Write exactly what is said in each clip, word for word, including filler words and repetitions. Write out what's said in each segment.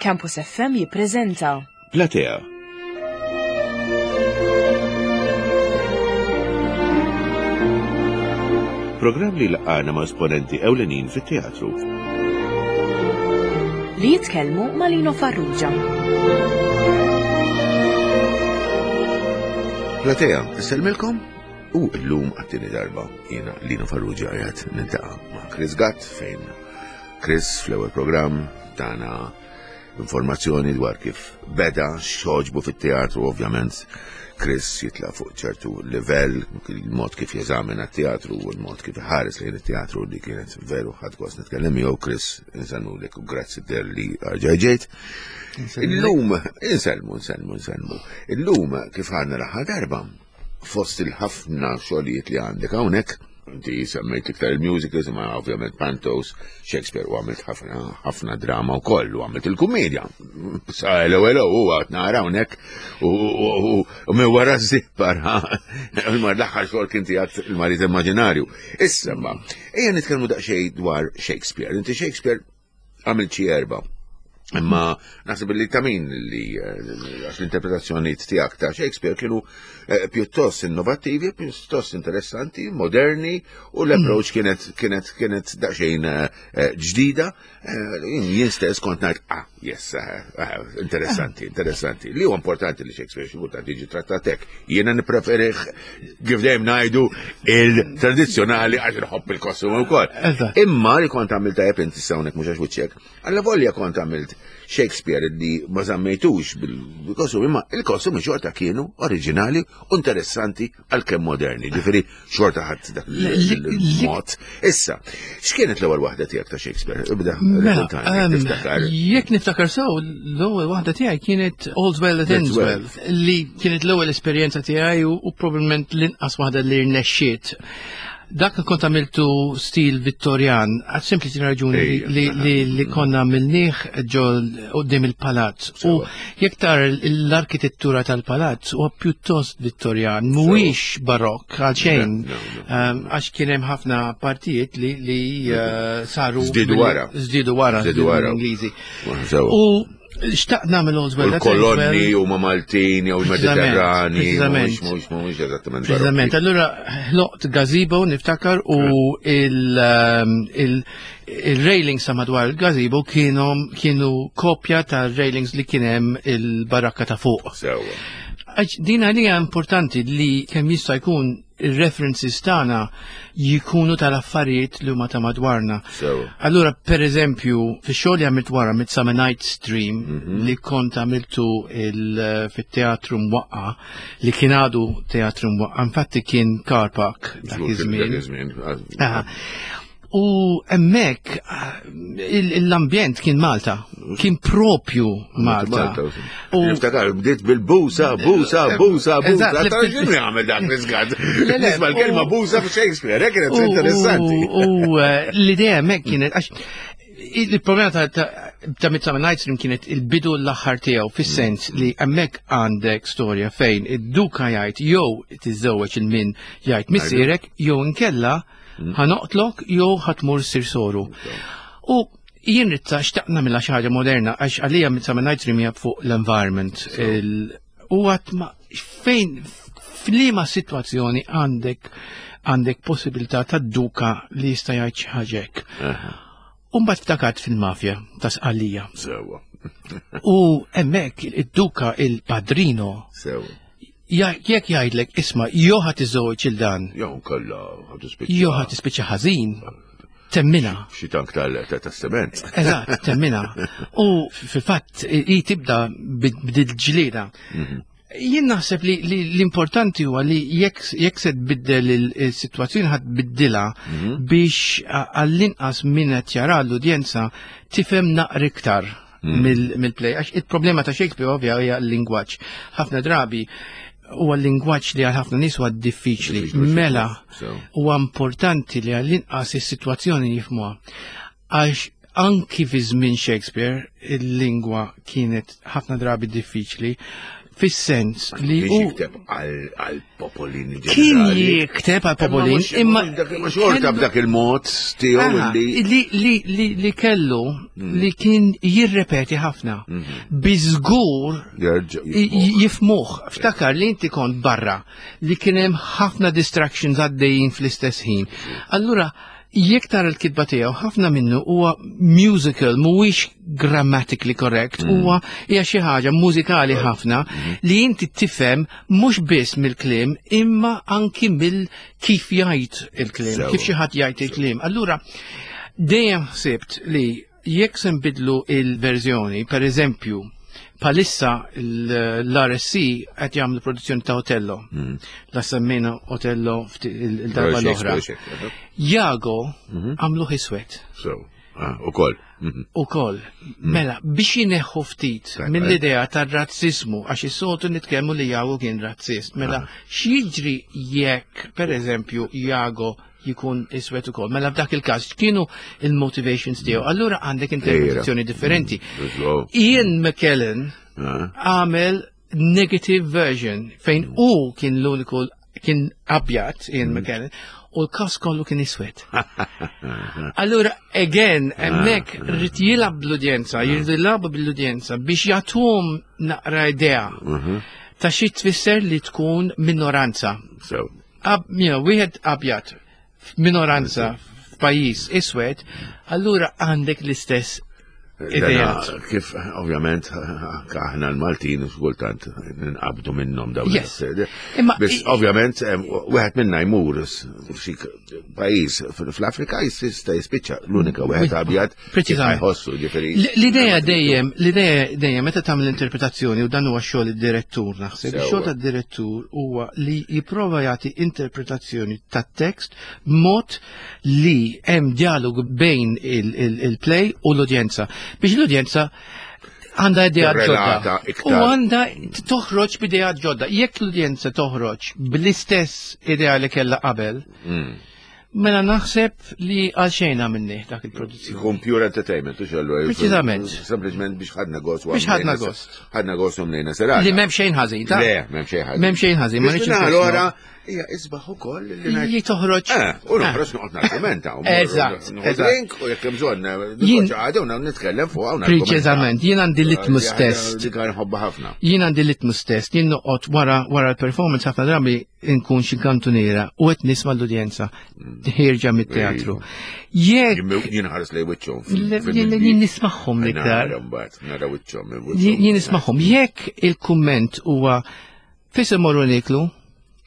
Campus F M jippreżenta Platea. Programm li laqana ma' esponenti ewlenin fit-teatru. Li jitkellmu ma' Lino Farrugia. Platea, issellmilkom u llum għat-tieni darba jiena Lino Farrugia qiegħed niltaqa' ma' Chris Gatt, fejn Chris fl-ewwel programm tana informazzjoni dwar kif beda, x'għoġbu fit-teatru. Ovvjament Chris jitla fuq ċertu livell, il-mod kif jeżamina t-teatru u l-mod kif ħares lejn it-teatru li kienet veru ħadt gost nitkellem miegħu. Chris, insellmulek u grazzi talli ġejt. Illum, insellmu, insellmu, insellmu. Illum, kif għedna l-aħħar darba, fost il-ħafna xogħlijiet li għandek hawnhekk, inti semmejt iktar il-musicals, ma ovvjament pantos, Shakespeare, u għamilt ħafna ħafna drama u koll, u għamilt il-kumedja. Sa hello, hello, u għat nara hawnhekk u u minn wara zipper, mar l-aħħar xogħol kien tiegħek, Il-Marit Immaġinarju. Issa ma, ejja nitkellmu daqsxejn dwar Shakespeare. Inti Shakespeare għamilt xi erba'. Imma naħseb li ta' min li eh, għax l-interpretazzjoni tiegħek ta' Shakespeare kienu eh, pjuttost innovattivi, pjuttost interessanti, moderni, u l-approach kienet kienet kienet daqsxejn eh, ġdida. Jien stess kont ngħid, "Ah, yes, interessanti, interessanti." Li huwa importanti li Shakespeare xi kultant jiġi trattat hekk. Jiena nippreferih, kif dejjem ngħidu, il-tradizzjonali għax nħobb il-kostum ukoll. Imma li kont għamilt tajjeb inti hawnhekk, mhux għax wiċċek, alla volja kont għamilt Shakespeare li ma żammejtux bil-kostum, imma il-kostumi xorta kienu oriġinali u interessanti għalkemm moderni, ġifieri xorta ħadd dak il-mod. Issa, x'kienet l-ewwel waħda tiegħek ta' Shakespeare? Ibda, Mela, raccontani, tiftakar. Jekk niftakar sew, l-ewwel waħda tiegħi kienet All's Well That Ends Well. Well, li kienet l-ewwel esperjenza tiegħi u, u probabbilment l-inqas waħda li rnexxiet. Dak kont għamiltu stil Vittorjan, għal sempliċi raġuni li, Ejja, li, li, li konna għamilnieh ġol quddiem il-palazz. U Sewa. jekk tara l-arkitettura tal-palazz huwa pjuttost Vittorjan, mhuwiex barokk għal xejn. No, no. Um, Għax kien hemm ħafna partijiet li, li uh, saru Żdiedu wara. Żdiedu wara, Żdiedu wara. Ingliżi. Sewa. U xtaqt nagħmel All's U Well That Ends l-kolonni Well. huma Maltin jew Preċiżament, Mediterrani, preċiżament. mhux mhux mhux eżattament Preċiżament. barokki. Allura ħloqt gazebo, niftakar, u il, um, il, il-railings ta' madwar il-gazebo kienu, kienu kopja ta' railings li kien hemm il-barakka ta' fuq. Sewa. Għax din għalija importanti li kemm jista' jkun il-references tagħna jikunu tal-affarijiet li huma ta' madwarna. Sewa. Allura, per eżempju, fi xogħol li għamilt wara Midsummer Night's Dream, Mhm. li kont għamiltu il- fit-teatru mwaqqa, li kien għadu teatru mwaqqa, infatti kien car park dak Dak iż-żmien. iż-żmien. Aha. U hemmhekk ah, il- l-ambjent kien Malta, kien propju Malta. U niftakar bdiet bil-busa, busa, busa, busa. Eżatt, Ta' x'inhu jagħmel dak l-iżgad? Le, le, Nisma' l-kelma u- busa f'Shakespeare, hekk kienet U- interessanti. U eh, l-idea hemmhekk kienet, għax il-problema ta' ta' ta' Midsummer Night's Dream kienet il-bidu l-aħħar tiegħu, fis-sens li hemmhekk għandek storja fejn id-duka jgħid jew tiżżewweġ il min jgħid missierek jew inkella ħa noqtlok jew ħa tmur ssir soru. U jien ritta xtaqna nagħmilha xi ħaġa moderna, għax għalija Midsummer Night's Dream hija fuq l-environment. Il- U għat ma fejn f'liema sitwazzjoni għandek għandek possibilità ta' duka li jista' jgħid xi ħaġa hekk. U mbagħad ftakart fil-mafja ta' Sqallija. Sewa, U hemmhekk id-duka, il-padrino, sewa. ja- jekk jgħidlek, "Isma', jew ħa tiżżewweġ il dan Jew kollha ħa tispiċċa. jew ħa tispiċċa ħażin", temminha. Xi tank tal ta' sement. Eżatt, temminha. U fil-fatt i tibda b'dil ġlieda. Jien naħseb li, li l-importanti huwa li jekk jekk se tbiddel il- il-sitwazzjoni ħa tbiddilha biex a- għall-inqas min qed jara, l-udjenza, tifhem naqra iktar mill- mill-play. Għax il-problema ta' Shakespeare ovvja hija l-lingwaġġ. Ħafna drabi huwa l-lingwaġġ li għal ħafna nies huwa diffiċli. Diffiċli, Mela, so. huwa importanti li għall-inqas is-sitwazzjoni jifhmuha. Għax anki fi żmien Shakespeare il-lingwa kienet ħafna drabi diffiċli. Fis-sens li Kien hu jikteb għal popolin kien ġenerali. jikteb għal popolin, imma imma xorta kellu- b'dak il-mod tiegħu Aha, li li li li li kellu li kien jirrepeti ħafna. Biżgur jerġa' i- jifmuh. Ftakar li inti kont barra li kien hemm ħafna distractions għaddejjin fl-istess ħin. Allura, jekk tara l-kitba tiegħu, ħafna minnu huwa musical, mhuwiex grammatically correct, huwa hija xi ħaġa mużikali ħafna li inti tifhem mhux biss mill-kliem imma anki mill kif jgħid il-kliem, Sewa. kif xi ħadd jgħid il-kliem. Allura, dejjem ħsibt li jekk se nbidlu il-verżjoni, per eżempju, palissa l-R S C qed jagħmlu produzzjoni ta' Otello. La semmejna Otello fti- il- il-darba l-oħra. Jago għamlu iswed. So, ah, ukoll. Mhm. Ukoll, mela, biex jineħħu ftit Tajba. mill-idea tar-razzismu, għax is-soltu nitkellmu li Jago kien razzist, mela, x'jiġri jekk, per eżempju, Jago jikun iswed ukoll? Mela f'dak il-każ kienu il-motivations tiegħu. Allura għandek interpretazzjoni differenti. So, Ian McKellen ah, għamel negative version fejn u kien l-uniku kien abjad, Ian McKellen, u l-kas kollu kien iswed. Allura, again, hemmhekk rrid jilgħab bl-udjenza, jrid jilgħabu bl-udjenza biex jagħtuhom naqra idea ta' xi tfisser li tkun minoranza. So, Ab, you know, wieħed abjad f'minoranza f'pajjiż iswed, allura għandek l-istess ideat. Dana, kif, ovvjament, anka aħna l-Maltin kultant ninqabdu minnhom dawn. Yes. l- Imma Biss, i- ovvjament, em, wieħed minna jmur s- f'xi pajjiż fl-Afrika jista' jispiċċa l-unika wieħed abjad kif Preċiżament. jħossu, ġifieri. L- L-idea dejjem, l-idea dejjem meta tagħmel interpretazzjoni, u dan huwa xogħol id-direttur naħseb, Sewwa. ix-xogħol tad-direttur huwa li jipprova jagħti interpretazzjoni tat-tekst b'mod li hemm dialog bejn il- il- il-play u l-udjenza. Biex l-udjenza għandha idea ġodda. Tirrelata iktar. U għandha toħroġ b'idea ġodda. Jekk l-udjenza toħroġ bl-istess idea li kellha qabel, Mm. mela naħseb li għal xejn għamilni dak il-produzzjoni. Ikun pure entertainment, u xallu. Preċiżament. Sempliċement biex ħadna gost. u Biex ħadna għamlejna- gost. Ħadna gost u mlejna serata. Li m'hemm xejn ħażin, ta' Le, m'hemm xejn ħażin. M'hemm xejn ħażin, ma Biex rridx minna infissru. Allora, hija isbaħ ukoll li ngħid- Li toħroġ. Eh, u noħroġ noqgħod nargumenta. u mmorru Eżatt, nieħu eżatt. drink u jekk hemm bżonn Jien- għadew nitkellem fuq hawn. Preċiżament, jien għandi litmus test. Dik nħobbha ħafna. Jien għandi litmus test, jien noqgħod wara wara l-performance ħafna drabi nkun xi kantuniera u qed nisma' l-udjenza ħierġa mit-teatru. Jekk Jien ħares lej wiċċhom. Le- jien jien nismagħhom l-iktar. Nara mbagħad, nara wiċċhom. Jien jien nismagħhom. Jekk il-kumment huwa "Fis imorru niklu",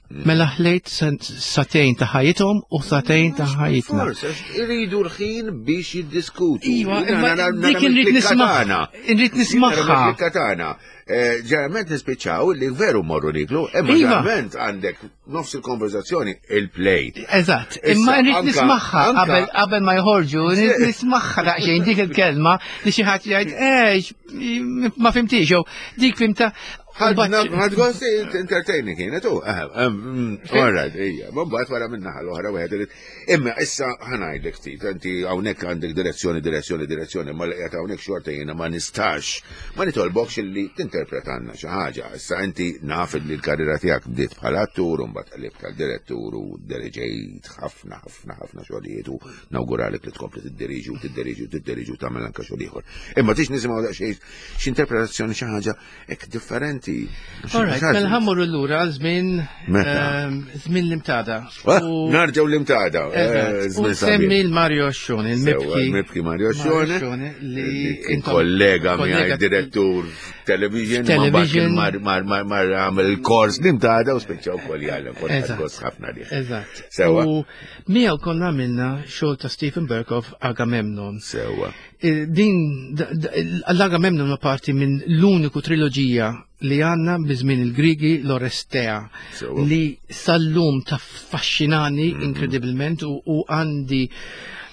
mela ħlejt sagħtejn ta' ħajjithom u sagħtejn ta' ħajjitna. Forse, għax iridu l-ħin biex jiddiskutu. Iva, Jiena imma nara- nara dik inrid mill-klikka nisma' tagħna. Inrid nismagħha. Jiena tagħna. Eh, Ġeneralment nispiċċaw li veru morru niklu, imma Iva. ġeneralment għandek nofs il-konverzazzjoni il-play. Eżatt, Issa, imma nrid anka- nismagħha anka- qabel qabel ma jħorġu, nrid nismagħha daqsxejn dik il-kelma li xi ħadd jgħid, "Eh, ma fimtix", jew dik fimta. Ħadna ħad gost entertaining kienet u. All right, ija. Ma mbagħad wara minna l-oħra wieħed irid. Imma issa ħa ngħidlek ftit, inti hawnhekk għandek direzzjoni, direzzjoni, direzzjoni, ma li qiegħed hawnhekk xorta jiena ma nistax ma nitolbokx illi tinterpretanna xi ħaġa. Issa inti naf li l-karriera tiegħek bdiet bħala attur u mbagħad qlibt tal-direttur u diriġejt ħafna ħafna ħafna xogħlijiet u nawguralek li tkompli tiddiriġi u tiddiriġi u tiddiriġi u tagħmel anke xogħol ieħor. Imma tix nisimgħu daqsxejn x'interpretazzjoni, xi ħaġa hekk differenti. All right, mela ħa mmorru lura għal żmien Meta? ehm, żmien l-Imtada. Ah, U- Narġgħu l-Imtada. Eżatt, U semmi l-Mario Ascione, il-mibki. Il-mibki Mario Ascione. Ascione, li kien intom- kollega miegħi kollega- direttur television, ma Television. mbagħad mar mar mar għamel il-kors l-Imtada u spiċċa wkoll jgħallem kont Eżatt. gost ħafna lih. Eżatt. Sewa. U miegħu konna għamilna xogħol ta' Steven Berkoff, Agamemnon. Sewa. Eh, Din da- da- l-Agamemnon huwa parti minn l-uniku triloġija li għandna biżmien il-Grigi, l-Orestea, Sewa. li sal-lum taffaxxinani inkredibilment u, u għandi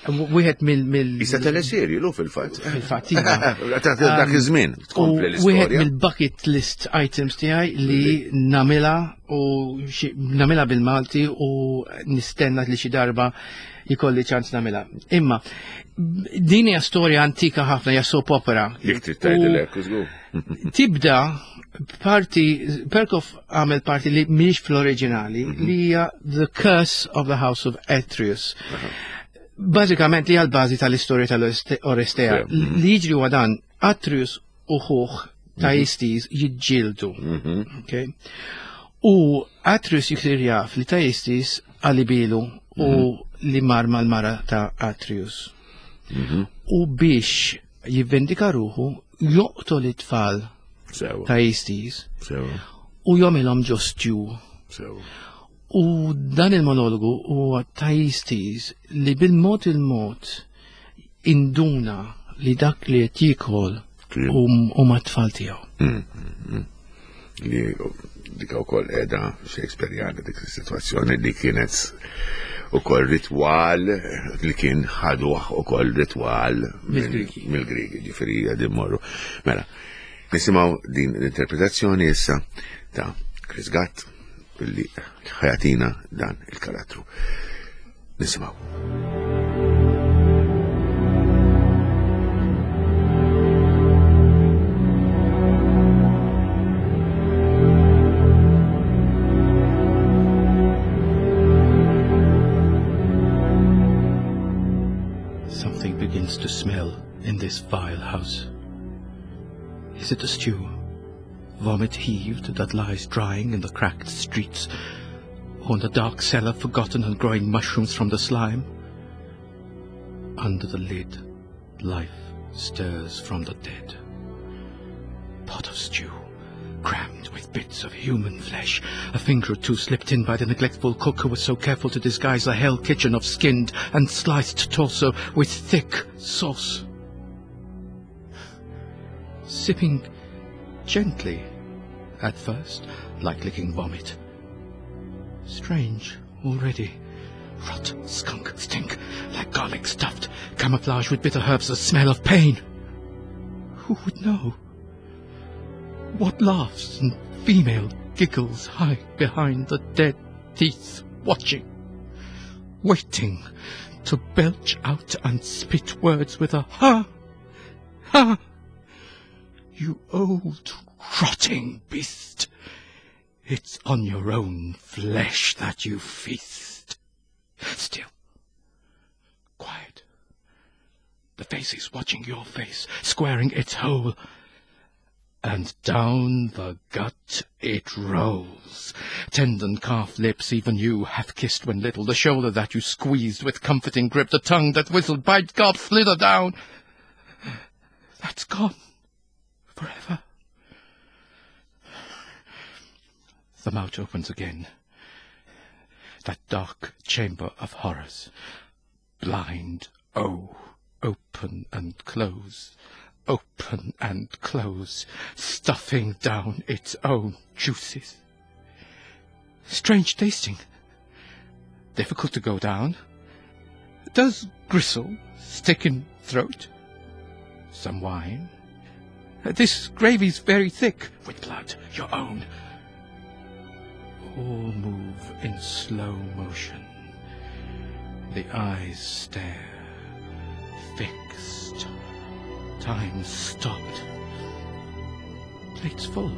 Wieħed mill mill Issa teleserji lu fil-fatt. Fil-fatt, iva. Dak iż-żmien tkompli U wieħed l-istorja. mill-bucket list items tiegħi li nagħmilha u xi- nagħmilha bil-Malti u nistenna li xi darba jkolli ċans nagħmilha. Imma din hija storja antika ħafna, hija soap opera. Jekk trid tgħidilek, żgur. Tibda parti, Perkoff għamel parti li mhix fl-oriġinali, li hija The Curse of the House of Atreus. Bażikament li hija l-bażi tal-istorja tal-Orestea. Sew. Mhm. Li jiġri huwa dan, Atreus u ħuh Thaistes jiġġieldu. Okay? U Atreus jisir jaf li Thaistes qalibilu u li mar mal-mara ta' Atreus. U biex jivvendika ruħu joqtol it-tfal Sewa. Thaistes Sewa. u jagħmilhom ġo stew. Sewa. U dan il-monologu huwa Thaistes li bil-mod il-mod induna li dak li qed jiekol Kien. huma t-tfal tiegħu. Li dik ukoll qiegħda Shakespeareana dik is-sitwazzjoni li kienet ukoll ritwal li kien ħaduh ukoll ritwal Mill-Grigi. Mill-Grigi, ġifieri qegħdin morru. Mela, nisimgħu din l-interpretazzjoni issa ta' Chris Gatt illi ħa jagħtina dan il-karattru. Nisimgħu. Something begins to smell in this vile house. Is it a stew? Vomit heaved that lies drying in the cracked streets, or in the dark cellar forgotten and growing mushrooms from the slime? Under the lid, life stirs from the dead. Pot of stew, crammed with bits of human flesh, a finger or two slipped in by the neglectful cook who was so careful to disguise the hell kitchen of skinned and sliced torso with thick sauce. Sipping gently at first, like licking vomit. Strange already. Rot, skunk, stink, like garlic stuffed, camouflage with bitter herbs, the smell of pain. Who would know? What laughs and female giggles hide behind the dead teeth, watching, waiting to belch out and spit words with a ha, ha. You old rotting beast. It's on your own flesh that you feast. Still, quiet. The face is watching your face, squaring its hole. And down the gut it rolls. Tendon calf lips, even you have kissed when little, the shoulder that you squeezed with comforting grip, the tongue that whistled, bite, gob, slither down. That's gone. Forever. The mouth opens again. That dark chamber of horrors. Blind, oh, open and close, open and close, stuffing down its own juices. Strange tasting. Difficult to go down. Does gristle stick in throat? Some wine. This gravy's very thick, with blood, your own. All move in slow motion. The eyes stare, fixed. Time stopped. Plates full.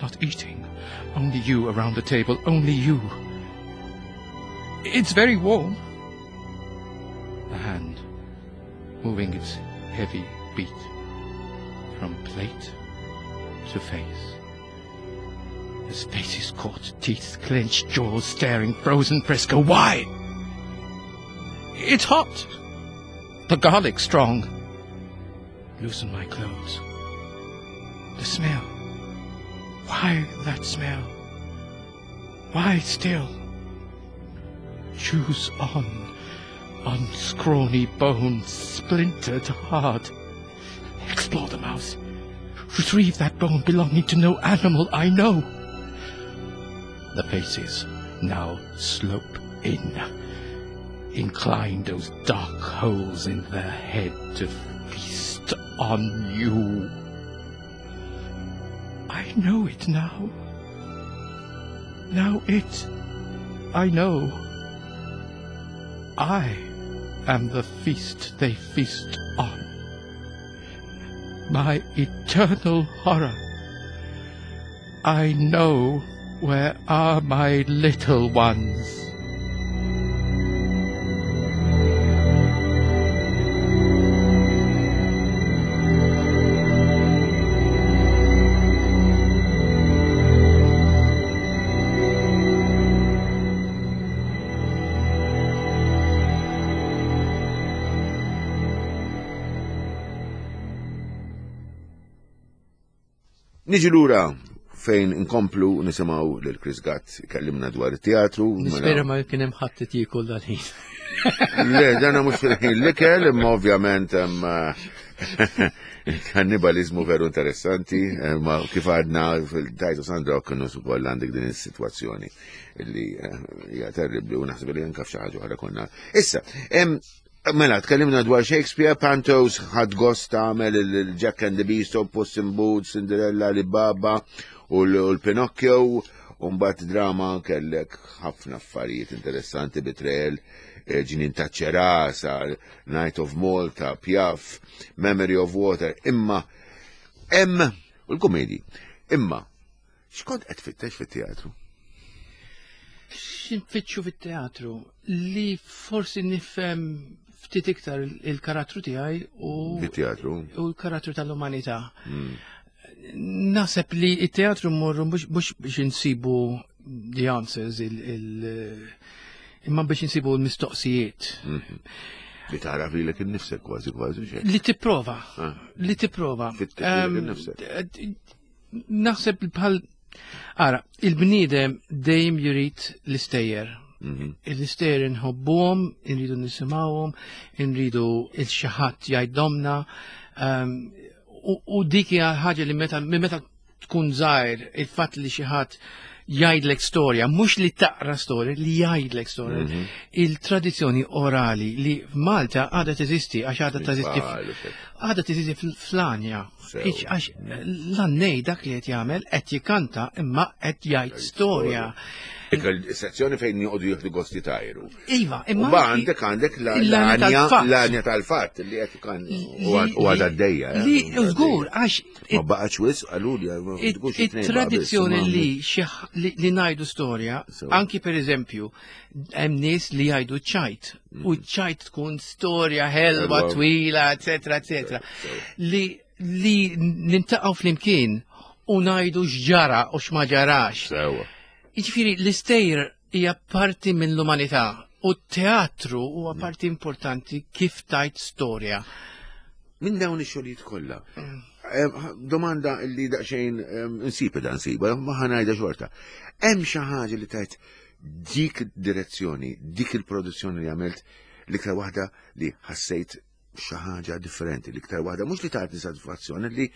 Not eating. Only you around the table, only you. It's very warm. The hand, moving its heavy beat from plate to face. His face is caught, teeth clenched, jaws staring, frozen fresco. Why? It's hot. The garlic strong. Loosen my clothes. The smell. Why that smell? Why still? Chews on, on scrawny bones, splintered hard. Explore the mouth. Retrieve that bone belonging to no animal I know. The faces now slope in. incline those dark holes in their head to feast on you. I know it now. Now it, I know. I am the feast they feast on. My eternal horror. I know where are my little ones. Niġi lura fejn inkomplu nisimgħu lil Chris Gatt ikellimna dwar it-teatru. Nispera ma kien hemm ħadd jiekol dal-ħin. Le, dana mhux fil-ħin l-ikel, imma ovvjament hemm kannibalizmu veru interessanti, ma kif għadna fil-Tajtu Sandra kienu ukoll għandek din is-sitwazzjoni li hija terribbli u naħseb li anke f'xi ħaġa oħra konna. Issa, mela, tkellimna dwar Shakespeare, Pantos, ħad gost tagħmel il-Jack and the Beanstalk, Puss in Boots, Cinderella, Alibaba u l-Pinocchio, u mbagħad drama kellek ħafna affarijiet interessanti, Betrayal, Ġnien ta' Ċerasa, Night of Malta, Piaf, Memory of Water, imma hemm u l-komedi. Imma x'kont qed tfittex fit-teatru? X'infittxu fit-teatru? Li forsi nifhem ftit iktar il-karattru tiegħi u Bit-teatru. u l-karattru tal-umanità. Naħseb li it-teatru mmorru mhux biex insibu the answers, il, il, imma biex insibu l-mistoqsijiet. Li tara lilek innifsek kważi kważi xejn. Li tipprova, Ah. li tipprova. Fittex lilek innifsek. Naħseb bħal Ara, il-bniedem dejjem jurid l-istejjer. L-istejjer inħobbuhom, inridu nisimgħuhom, inridu il xi ħadd jgħidhomna. Um, u, u dik hija ħaġa li meta minn meta tkun żgħir, il-fatt li xi ħadd jgħidlek storja, mhux li taqra storja, li jgħidlek storja. Il-tradizzjoni orali li f'Malta għadha teżisti, għax għadha teżisti għadha teżisti fl-Anja. Sew. Għax l-għannej dak li qed jagħmel qed jikanta imma qed jgħid storja. Sezzjoni fejn joqogħdu jieħdu gosti tajru. Iva, U imma ba għandek għandek la- l-għanja l-għanja tal-fatt. l-għanja tal-fatt li qed kan u għadha għaddejja. eh, Li żgur għax Ma baqgħetx wisq qaluli ma tkunx it-tnejn baqa' biss, it-tradizzjoni imma- li xi- li li ngħidu storja, Sew. anki per eżempju, hemm nies li jgħidu ċajt, u ċajt tkun storja ħelwa, Ħelwa. twila, eccetera, eccetera. Li li nintaqgħu flimkien u ngħidu x'ġara u x'ma ġarax. Sewa. Jiġifieri l-istejjer hija parti mill-umanità u t-teatru huwa parti importanti kif tajt storja. Minn dawn ix-xogħlijiet kollha. Em, Domanda li daqsxejn em, insib da nsiba, ma ħa ngħidha xorta. Hemm xi ħaġa li tajt dik id-direzzjoni, dik il-produzzjoni li għamilt, l-iktar waħda li ħassejt xi ħaġa differenti, l-iktar waħda mhux li tagħti satisfazzjoni li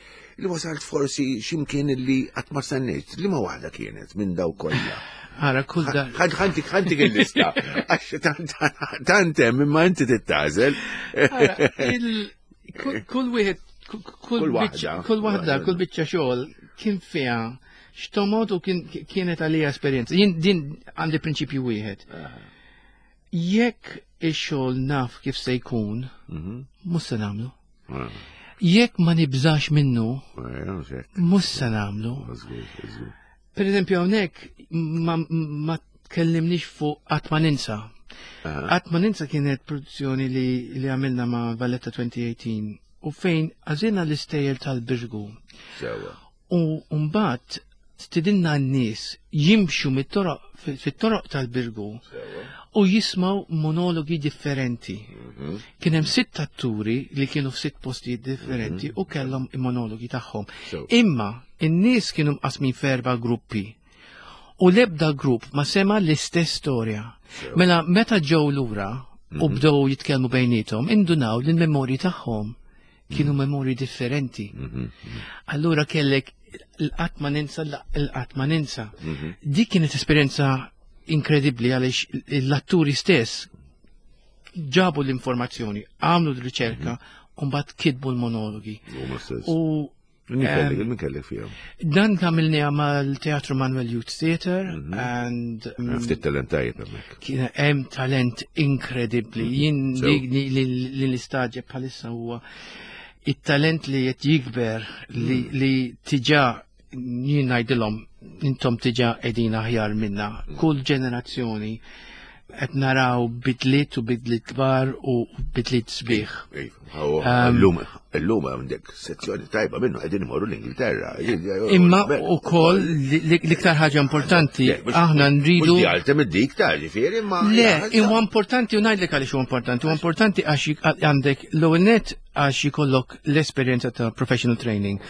li wasalt forsi x'imkien li qatt ma stennejt, li ma waħda kienet minn daw kollha. Ara, kull da. Ħantik ħantik il-lista. Għax tant- tant hemm imma inti tittażel. Ara, il- kull- Kull wieħed, kull- kull Kull waħda. biċċa- kull waħda, kull biċċa xogħol kien fiha x'tomod u kien kienet għalija esperjenza. Jien din għandi prinċipju wieħed. Jekk ix-xogħol naf kif se jkun, mhux se nagħmlu. Jekk ma nibżax minnu, mhux se nagħmlu. Per eżempju hawnhekk ma, ma tkellimniex fuq Qatt ma ninsa. Qatt ma ninsa kienet produzzjoni li, li għamilna ma' Valletta elfejn u tmintax u fejn għażilna l-istejjer tal-Birgu. Sewa. U mbagħad stidinna n-nies jimxu mit-toroq fit-toroq tal-Birgu u jismaw monologi differenti. Kien hemm sitt atturi li kienu f'sitt postijiet differenti u kellhom monologi tagħhom. Sew. Imma in-nies kienu mqasmin f'erba' gruppi. U l-ebda grupp ma sema l-istess storja. Mela meta ġew lura u bdew jitkellmu bejniethom, indunaw li l-memorji tagħhom kienu memorji differenti. Allura kellek l-qatt ma ninsa, l-qatt ma ninsa. Dik kienet esperjenza inkredibbli għaliex l-atturi stess Ġabu l-informazzjoni, għamlu l-riċerka, u mbagħad kitbu l-monologi. Huma stess. U Min kellek, min kellek fihom? Dan għamilniha mal-Teatru Manuel Youth Theatre and um, Ftit talent tajjeb hemmhekk. Kien hemm talent inkredibbli. Jien So- li li- li li nistagħġeb bħalissa huwa it-talent li qed jikber li li tiġa, jien ngħidilhom, intom tiġa qegħdin aħjar minna. Kull ġenerazzjoni qed naraw bidliet u bidliet kbar u bidliet sbieħ. Illum, illum għandek sezzjoni tajba minnu qegħdin imorru l-Ingilterra. Imma ukoll l-iktar ħaġa importanti, aħna nridu. Mhux għaltem id-dik ta' ġifieri, ma. Le, huwa importanti u ngħidlek għaliex huwa importanti. Huwa importanti għax għandek l-ewwel net għax jkollok l-esperjenza ta' professional training.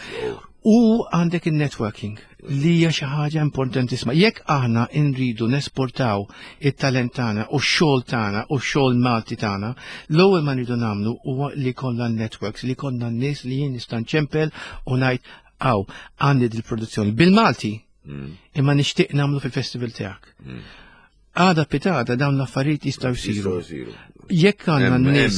U għandek il-networking li hija xi ħaġa importantissima. Jekk aħna nridu nesportaw it-talent tagħna u x-xogħol tagħna u x-xogħol Malti tagħna, l-ewwel ma nridu nagħmlu huwa li kollha networks, li kollha n-nies li jien nista' nċempel u ngħid, "Aw, għandi dil-produzzjoni bil-Malti, mm. imma nixtieq nagħmlu fil-festival tiegħek." Mm. Għada pitgħada dawn l-affarijiet jistgħu jsiru. Jekk għandna n-nies.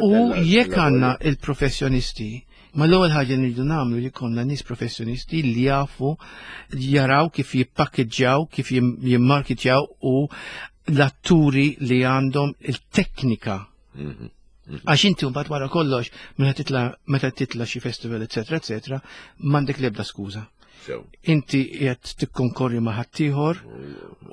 U jekk għandna il-professjonisti. Ma l-ewwel ħaġa li nridu nagħmlu li jkollna nies professjonisti li jafu jaraw kif jippakkeġġjaw, kif jimmarketjaw u l-atturi li għandhom il-teknika. Mhm, mhm. Għax inti mbagħad wara kollox meta titla meta titla xi festival, eċetera, eċetera, m'għandek l-ebda skuża. Inti qed tikkonkorri ma' ħaddieħor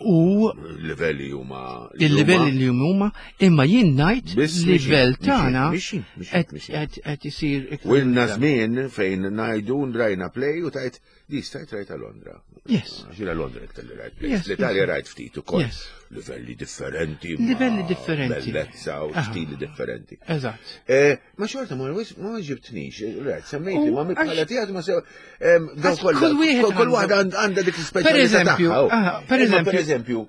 u livelli huma il-livelli li huma, imma jien ngħid livell tagħna qed isir. U ilna żmien fejn ngħidu rajna play u tajt di stajt rajta Londra. Yes. Għax Londra iktar li rajt play. L-Italja rajt ftit ukoll. Livelli differenti. Livelli differenti. Bellezza u stili differenti. Eżatt. Eh, ma xorta ma ma ġibtnix, rajt, semmejti, ma bħala tiegħek ma sew dawn kollha. Kull waħda għandha dik l-ispeċjalità. Per eżempju, per eżempju, per eżempju,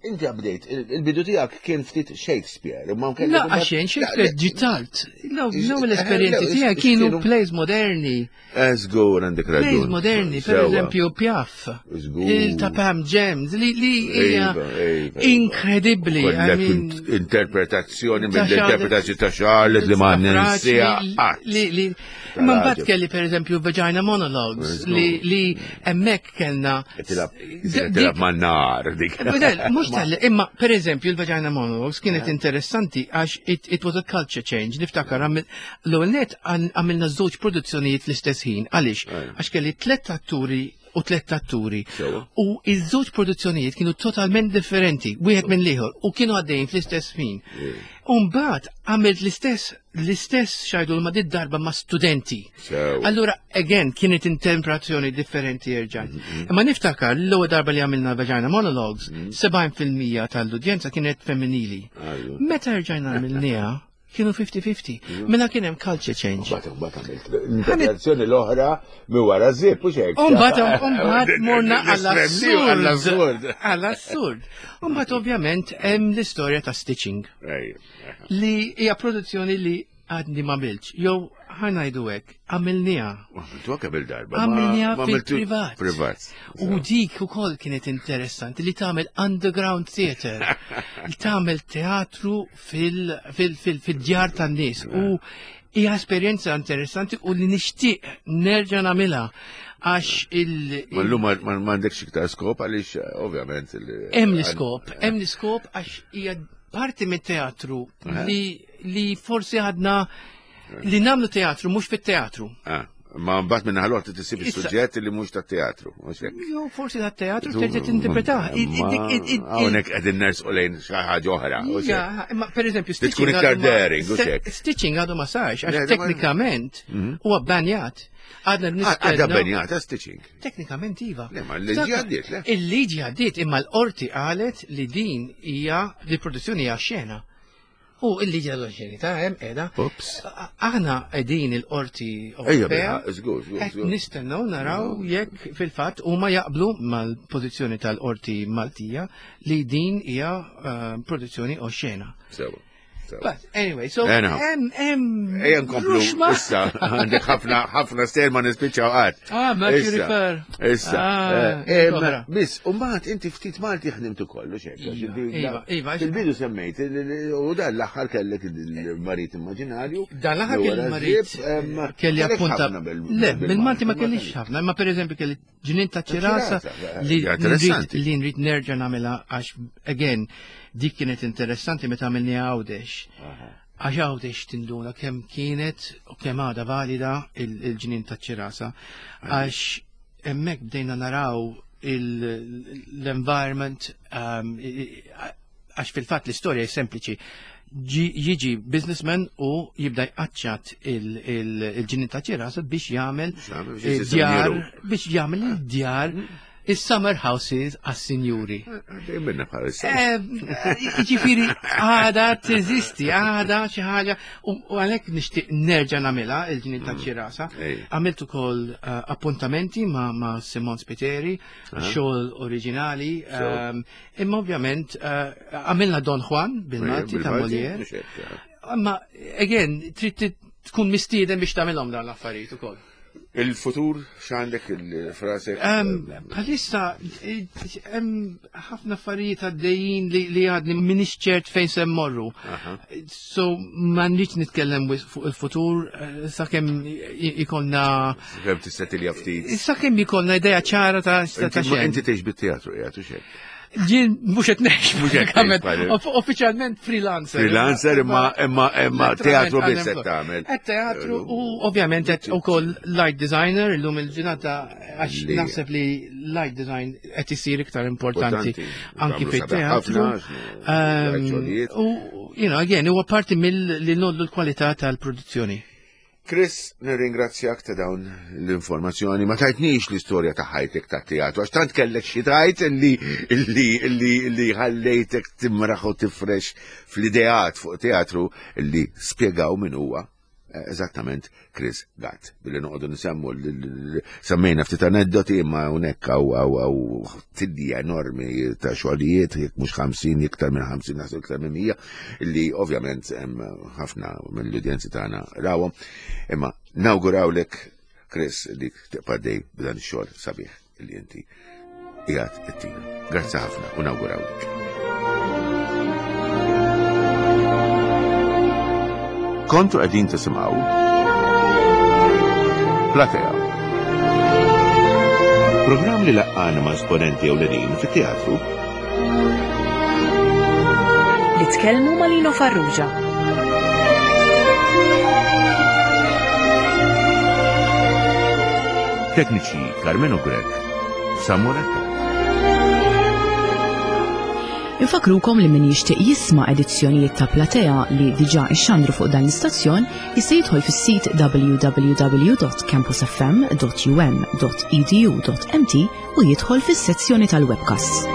inti għabdejt, il-bidu tiegħek kien ftit Shakespeare. Ma La, għaxen, Shakespeare ġitalt. L-ewwel esperjenzi tiegħek kienu plays moderni. Żgur, għandek raġun. Plays moderni, per eżempju Piaf. Il ta' Pam Gems, li li hija Iva, iva, iva. inkredibbli. Interpretazzjoni mill-interpretazzjoni ta' Charlotte li ma ninsieha qatt. Li li Ma mbagħad kelli, per eżempju, Vagina Monologues li li hemmhekk kellna Tilgħab man-nar dik. Mhux tal imma per eżempju il-Vagina Monologues kienet interessanti għax it, it was a culture change. Niftakar l-ewwel net għamilna żewġ produzzjonijiet fl-istess ħin. Għaliex? Għax kelli tliet atturi u tliet atturi. U iż-żewġ produzzjonijiet kienu totalment differenti, wieħed minn l-ieħor, u kienu għaddejjin fl-istess ħin. U mbagħad għamilt l-istess l-istess xajdu ma did darba ma' studenti. Allura, again, kienet interpretazzjoni differenti erġajt. Mhm. Imma niftakar l-ewwel darba li għamilna Vagina Monologues, Mhm. sebgħin fil-mija tal-udjenza kienet femminili. Meta erġajna għamilniha, kienu ħamsin ħamsin. Mela kien hemm culture change. Mbagħad mbagħad għamilt l-interpretazzjoni l-oħra mi wara zip u xek. Umbagħad umbagħad morna għall-assurd. Għall-assurd. Umbagħad ovvjament hemm l-istorja ta' Stitching li hija produzzjoni li għadni ma għamiltx. Jew ħa ngħidu hekk, għamilniha. Għamiltu kemm il-darba. Għamilniha fil-privat. Privat. U dik ukoll kienet interessanti li tagħmel underground theater, li tagħmel teatru fil-djar tan-nies. U hija esperjenza interessanti u li nixtieq nerġa' nagħmilha għax il- Ma llum ma m'għandekx iktar skop għaliex ovvjament. Hemm l-iskop, hemm l-iskop għax hija parti mit-teatru li li forsi għadna li nagħmlu teatru mhux fit-teatru. Ah, ma mbagħad minn ħalort tisib Issa- is-suġġett li mhux tat-teatru. Mhux hekk. Jo, forsi tat-teatru terġa' tinterpretah. Hawnhekk qegħdin nersqu lejn xi ħaġa oħra. mhux hekk. Ja, imma per eżempju, Li tkun Stitching iktar għadu ma- daring, mhux hekk. Stitching għadu ma sarx, Le, għax ma- teknikament huwa bbanjat. Għadna Għadha nistennew. bbanjata Stitching. Teknikament iva. Le, ma l-liġi għaddiet, le? Il-liġi għaddiet, imma l-qorti qalet li din hija li produzzjoni hija xena. U il-liġi għadu xeni ta' hemm qiegħda. Ups. Aħna qegħdin il-qorti Ejja, Ewropea. bilħaq, żgur, żgur, Qed żgur. nistennew naraw jekk fil-fatt huma jaqblu mal-pożizzjoni tal-qorti Maltija li din hija eh, produzzjoni oxxena. Sewa. But anyway, so Anyhow. hemm hemm Ejja nkomplu, ruxma. issa, għandek ħafna, ħafna stejjer ma nispiċċaw qatt. Ah, Mercury Issa, Fair. Issa. Ah, eh, em, oħra. Biss, u mbagħad inti ftit Malti ħdimt ukoll, u xek. għax Iva, inti- iva, iva, Fil-bidu semmejt, il- il- u dan l-aħħar kellek il-marit immaġinarju. Dan l-aħħar li kelli wara marit żieb, em, kelli kellek appunta. ħafna bil- Le, bil-Malti ma kellix kellix. ħafna, imma per eżempju kelli ġnien ta' ċirasa ċirasa, li hija nrid interessanti. li nrid nerġa' nagħmilha għax again dik kienet interessanti meta għamilni Għawdex. Għax Għawdex tinduna kemm kienet u kemm għadha valida il- il-ġnien ta' ċirasa. Għax hemmhekk bdejna naraw il- l-environment um, i- i- għax fil-fatt l-istorja hi sempliċi. Ġi- Jiġi businessman u jibda jqaċċat il-ġnien ta' ċirasa biex jagħmel jagħmel biex eh, djar jisir biex jagħmel il-djar is-summer houses għas-sinjuri. Għaddej minna bħalissa. Eh, Ġifieri, għada teżisti, għada xi ħaġa, u u għalhekk nixtieq nerġa' nagħmilha il-ġnien ta' ċirasa. Ej. Għamilt ukoll eh, appuntamenti ma' ma' Simon Spiteri, xogħol oriġinali, ehm, imma ovvjament eh, għamilna Don Juan bil-Malti ta' Bil-Malti, Molière. mhux hekk, eh. Imma, again, trid tkun mistieden biex tagħmilhom dawn l-affarijiet ukoll. Il-futur, x'għandek il-frasek? Em, Bħalissa, eh, hemm ħafna affarijiet għaddejjin li, li għadni minix ċert fejn se mmorru. So, ma nridx nitkellem wis- fuq il-futur, eh, sakemm i- ikollna Kemm tista' tilja ftit. sakemm ikollna idea ċara ta' ta' Inti- xejn. Inti tgħix bit-teatru, qiegħed u xejn. Jien mhux qed ngħix Mhux qed pratikament. ngħix, bħal- Off- Uffiċjalment freelancer. Freelancer imma imma imma teatru biss qed tagħmel. Qed teatru u ovvjament qed ukoll light designer illum il-ġurnata għax Li- naħseb li light design qed isir iktar importanti Importanti. anki Tagħmlu sabiħ fit-teatru. ħafna, x'nu, Ehm, xogħlijiet. U you know, again, huwa parti mill li nollu l-kwalità tal-produzzjoni. Chris, nirringrazzjak ta' dawn l-informazzjoni. Ma tajtnix l-istorja ta' ħajtek ta' teatru, għax tant kellek xi tajt illi illi illi illi ħallejtek timraħ u tifrex fl-ideat fuq teatru illi spjegaw min huwa eh, eżattament Chris Gatt. Billi noqogħdu nsemmu l- l- l- semmejna ftit aneddoti imma hawnhekk hawn hawn hawn tidja enormi ta' xogħlijiet, jekk mhux ħamsin, iktar minn ħamsin, naħseb iktar minn mija, illi ovvjament hemm ħafna mill-udjenzi tagħna rawhom. Imma nawgurawlek Chris li tibqa' dej b'dan ix-xogħol sabiħ li inti qiegħed ittina. Grazzi ħafna u nawgurawlek. Kontu qegħdin tisimgħu Platea. Programm li laqqana ma' esponenti ewlenin fit-teatru Li tkellmu ma' Lino Farrugia. Tekniċi Carmeno Grech, Samuretta. Infakrukom li min jixtieq jisma' edizzjonijiet ta' Platea li diġà ixxandru fuq dan l-istazzjon jista' jidħol fis-sit w w w dot campusfm dot u m dot e d u dot m t u jidħol fis-sezzjoni tal-webcasts.